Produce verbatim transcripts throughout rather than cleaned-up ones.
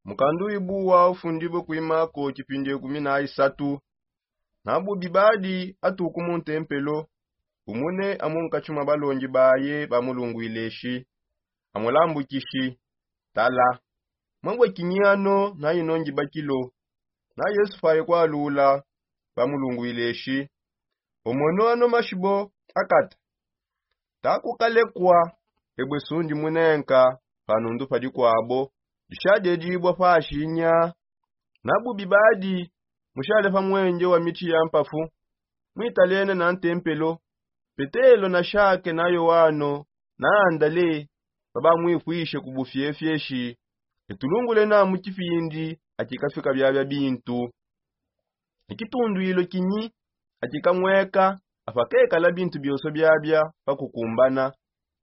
Mukandu wibuwa ufundibue kuimako kipindi ekumi na isatu. Na bubi badi atuku mu ntempelo, umune amu nkatshi mua balongi baye bamulunguile eshi, amulambukishi: Tala, mwabue kinyi ano na ino ngibakilo? Na yesu paye kualula, bamulunguile eshi: Omono ano mashibo akata. Takukalekua, ebue sundi munenka panundu padi kuabo, dishadedibua pashi nya. Na bubi badi, mushale pa mwenge wa mitshi ya mpafu, mwitalene na ntempelo, petelo na shake na yoano na andale, babamwipwishe ku bufiefieshi. Etulungule na mu kipindi akikafika biabia bintu. Ekitunduilo kinyi akikamweka apa kekala bintu bionso biabia pa kukumbana?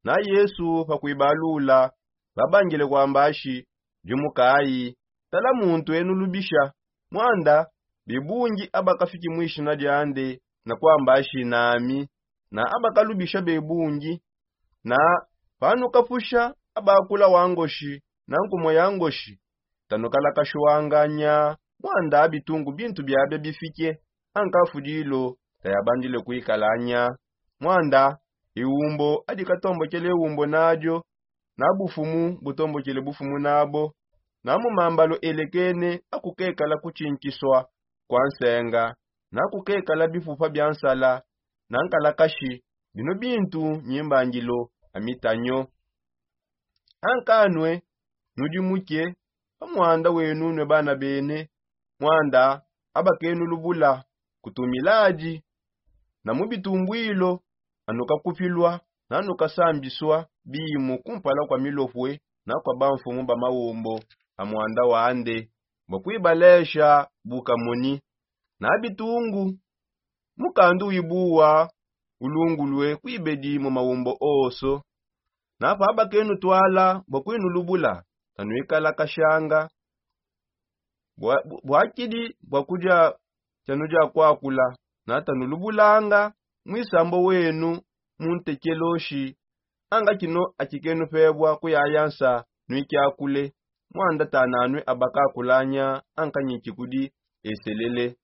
Na yesu pa kuibalula, babangile kuamba ashi: Dimukayi, tala muntu enu lubisha. Mwanda bebungi abakafiki mu ishina diande na kuamba ashi nami, na abakalubisha bebungi. Na panukapusha abakula wa ngoshi na nkumua ya ngoshi, tanukalakashiwanga nya. Mwanda bitungu bintu biabia bifike anka fudilo tayabandile kuikala nya. Mwanda iwumbo adikatombokele iwumbo nadio, na bufumu butombokele bufumu nabo, na mu mambalo elekene akukekala kutshinkisua kua nsenga, na kukekala bipupa bia nsala na nkalakashi. Bino bintu nyimbangilo a mitanyo. Anka nue, nudi muke pa mwanda wenu nue bana bene. Mwanda abakenulubula kutumiladi na mu bitumbwilo, anukakupilua na nukasambisua bimu kumpala kua milopue na kua bamfumu ba mawombo a mwanda wande, bua kuibalesha bukamoni. Na bitungu, mukandu wibuwa ulungulue kuibedi mu mawombo onso. Na pabakenutwala bua kuinulubula, tanuikalakashanga bua- bu- buakidi bua kudia tshianu dia kuakula, na tanulubulanga muisambo wenu mu ntekeloshi. Anga kino akikenupebua kuyaya nsa nuikiakule, mwanda tananue abakakulanya anka nyiki kudi eselele.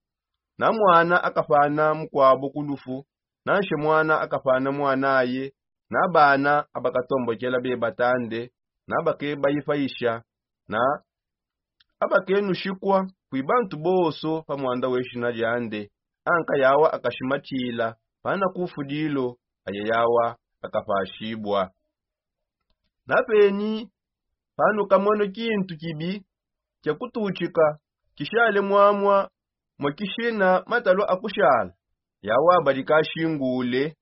Na mwana akapana mukuabo ku lufu, nanshe mwana akapana mwanaye, na bana abakatombokela beba tande, na bakebayipaisha, na abakenushikua kui bantu bonso pa mwanda weshina diande. Anka yawa akashimatshila pana kufudilo, aye yawa akapashibua. Na penyi panukamona kintu kibi kia kututshika kishale mwamua mua kishina matalu a kushala, yawa badi kashingule.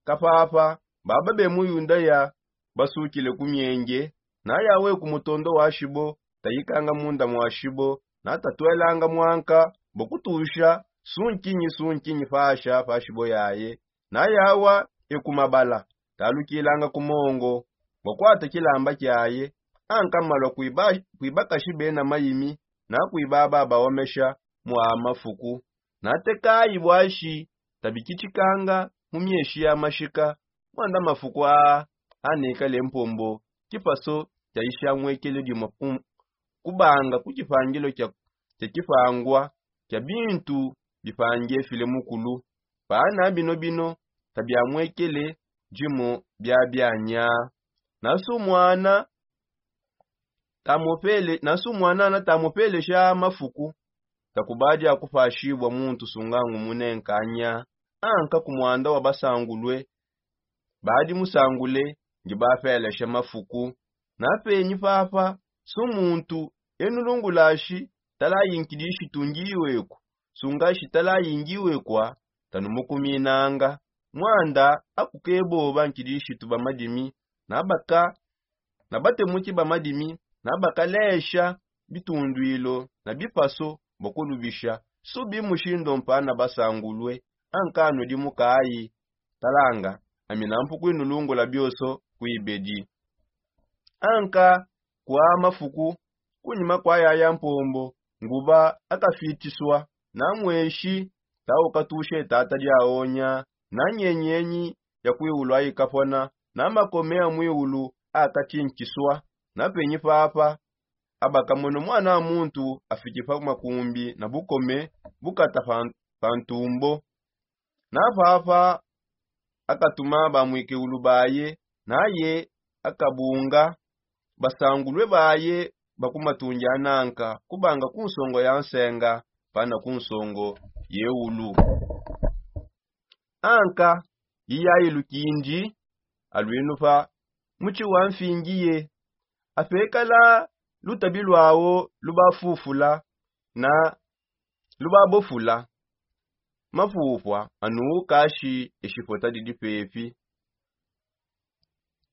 Kapapa baba be mu yudaya basukile ku mienge, na yawe ku mutondo wa shibo, tayikanga munda mwa shibo, na tatuelanga mwanka bua kutusha sunkinyi sunkinyi pasha pa shibo yaye. Na yawa e ku mabala, talukilanga ku mongo bua kuata kilamba kiaye. Anka malua kuiba- kuibakashi bena mayimi na kuibaba baomesha mwa mafuku. Na tekayi buashi tabikitshikanga mu mieshi ya mashika. Mwanda mafuku aa anekale mpombo kipaso kiaisha mwekele dimua ku- kubanga ku kipangilo kia- kia kipangua kia bintu bipangefile mukulu. Pana bino bino tabiamwekele dimo biabianya. Nasu mwana tamopele- nasu mwana natamopelesha mafuku, takubadia kupashibua muntu sungangu munenkanya. Anka ku mwanda wa basangulue badi musangule ndi bapelesha mafuku. Na penyi papa su muntu enulungulashi talayi nkidishitu ngiweku sungashi talayi ngiwekua, tanumukuminanga. Mwanda akukeboba nkidishitu ba madimi na baka- na batemuki ba madimi na bakalesha bitunduilo na bipaso bua kulubisha. Subi mushindu mpana basangulue. Anka nudi mukayi, talanga ami nampu kuinulungula bioso kuibedi. Anka kua mafuku kunyima kua yaya mpombo nguba akafitisua na mweshi taukatushe tata diaonya na nyenyenyi ya kuiulu aikapona na makome a muiulu akatinkisua. Na penyi papa abakamono mwana wa muntu afiki pa makumbi na bukome bukata pa ntumbo. Na papa akatuma bamwikewulu baye, naye akabunga basangulue baye bakumatungi ananka kubanga ku nsongo ya nsenga pana ku nsongo ye ulu. Anka yiyayi lukindi alwinupa mutshi wa mfingi ye apekala lutabi lwawo lubafufula na lubabofula. Mapupua anuukashi eshipota didi pepi.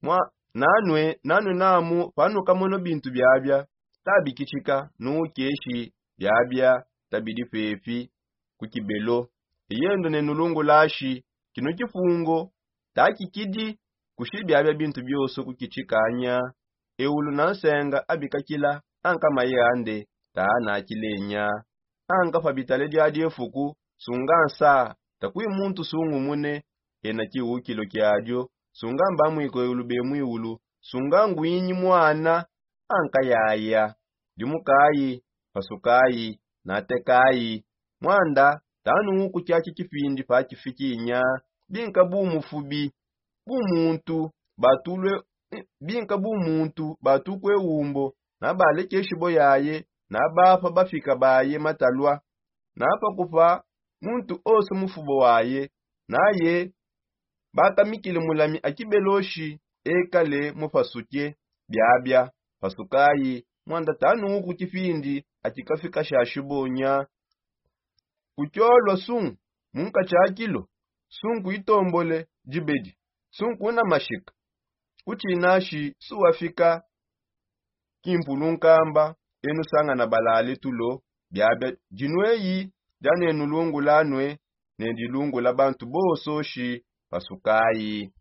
Mwa nanue nanue namu panukamono bintu biabia tabikitshika nuukeshi biabia tabidi pepi ku kibelo. Eyendo ne nulungulashi kino kipungo takikidi kushi biabia bintu bioso kukitshikanya. Eulu na nsenga abikakila anka maye ande taanakilenya. Anka pa bitale dia diefuku sunga nsa takui muntu sungumune ena kiukilo kiadio. Sunga mbamwiko eulu bemwiulu sunga ngwinyi mwana. Anka yaya dimukayi pasukayi natekayi mwanda tanuuku kiaki kipindi pakifikinya. Binka bumufubi bumuntu batulue binka bumuntu batukue umbo na balekeshi bo yaye na bapa bafika baye matalua na pakupa muntu ose mufubo waye. Naye bakamikile mulami akibeloshi ekale mupasuke biabia pasukayi mwanda tanuuku kipindi akikafika shashibonya. Kukiolua sunku munka tshia kilo sunku itombole dibedi sunku una mashika. Kutshinashi suwafika kimpulu nkamba enu sangana balale tulo. Biabia dinueyi dia nenu lungula nue ne dilungula bantu bososhi pasukayi.